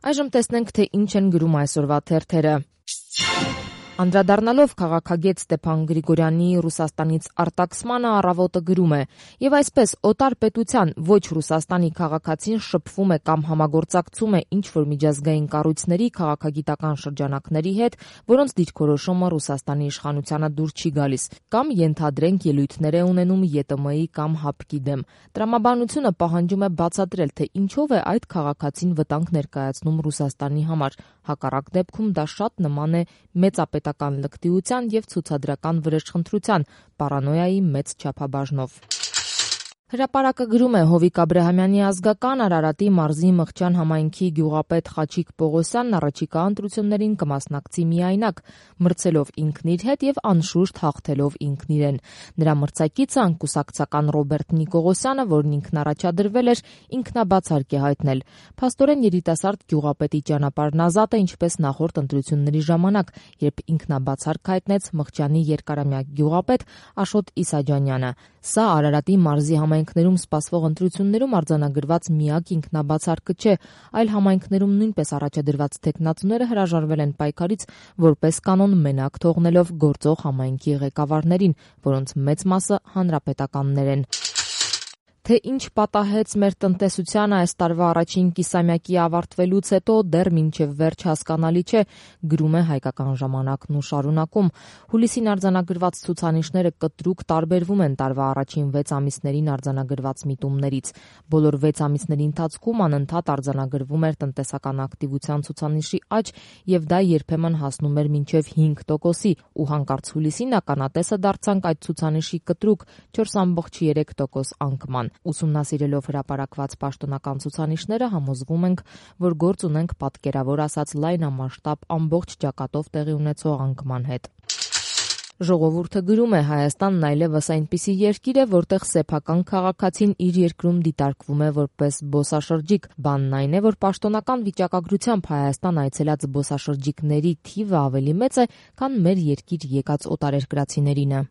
Այժմ տեսնենք, թե ինչ են գրում այսօրվա թերթերը։ Անդրադառնալով քաղաքագետ Ստեփան Գրիգորյանի Ռուսաստանից արտաքսմանը, Առավոտը գրում է. «Եվ այսպես օտար պետության ոչ Ռուսաստանի քաղաքացին շփվում է կամ համագործակցում է ինչ-որ միջազգային կառույցների, քաղաքագիտական շրջանակների հետ, որոնց դիրքորոշումը Ռուսաստանի իշխանությանը դուր չի գալիս, կամ ենթադրենք ելույթներ է ունենում ԵՏՄ-ի կամ ՀԱՊԿ-ի դեմ։ Տրամաբանությունը պահանջում է բացատրել, թե ինչով է այդ քաղաքացին վտանգ ներկայացնում Ռուսաստանի համար։ Հակառակ դեպքում դա շատ նման է մեծապետական լկտիության և ցուցադրական վրեժխնդրության, պարանոյայի մեծ չափաբաժնով»։ Հրապարակը գրում է. Հովիկ Աբրահամյանի ազգական Արարատի մարզի Մղջան համայնքի գյուղապետ Խաչիկ Պողոսյանն առաջիկա ընտրություններին կմասնակցի միայնակ, մրցելով ինքն իր հետ և անշուշտ հաղթելով ինքն իրեն։ Նրա մրցակիցը անկուսակցական Ռոբերտ Նիկողոսյանը, որն ինքն առաջադրվել էր, ինքնաբացարկ է հայտնել. «Փաստորեն երիտասարդ գյուղապետի ճանապարհն ազատ է, ինչպես նախորդ ընտրությունների ժամանակ, երբ ինքնաբացարկ հայտնեց Մղջանի երկարամյա գյուղապետ Աշոտ Իսաջանյանը։ Սա Արարատի մարզի համայնքներում սպասվող ընտրություններում արձանագրված միակ ինքնաբացարկը չէ, այլ համայնքներում նույնպես առաջադրված թեկնածուները հրաժարվել են պայքարից, որպես կանոն մենակ թողնելով գործող համայնքի ղեկավարներին, որոնց մեծ մասը հանրապետականներ են»։ Թե ինչ պատահեց մեր տնտեսությանը այս տարվա առաջին կիսամյակի ավարտվելուց հետո, դեռ մինչև վերջ հասկանալի չէ, գրում է Հայկական ժամանակն ու շարունակում. հուլիսին արձանագրված ցուցանիշները կտրուկ տարբերվում են տարվա առաջին 6 ամիսներին արձանագրված միտումներից։ Բոլոր 6 ամիսների ընթացքում անընդհատ արձանագրվում էր տնտեսական ակտիվության ցուցանիշի աճ և դա երբեմն հասնում էր մինչև 5%-ի, ու հանկարծ հուլիսին ականատեսը դարձանք այդ ցուցանիշի կտրուկ 4.3% անկման։ Ուսումնասիրելով հրապարակված պաշտոնական ցուցանիշները, համոզվում ենք, որ գործ ունենք պատկերավոր ասած լայնամասշտաբ ամբողջ ճակատով տեղի ունեցող անկման հետ։ Ժողովուրդը գրում է. Հայաստանն այլևս այնպիսի երկիր է, որտեղ սեփական քաղաքացին իր երկրում դիտարկվում է որպես զբոսաշրջիկ։ Բանն այն է, որ պաշտոնական վիճակագրությամբ Հայաստան այցելած զբոսաշրջիկների թիվը ավելի մեծ է, քան մեր երկիր եկած օտարերկրացիներինը։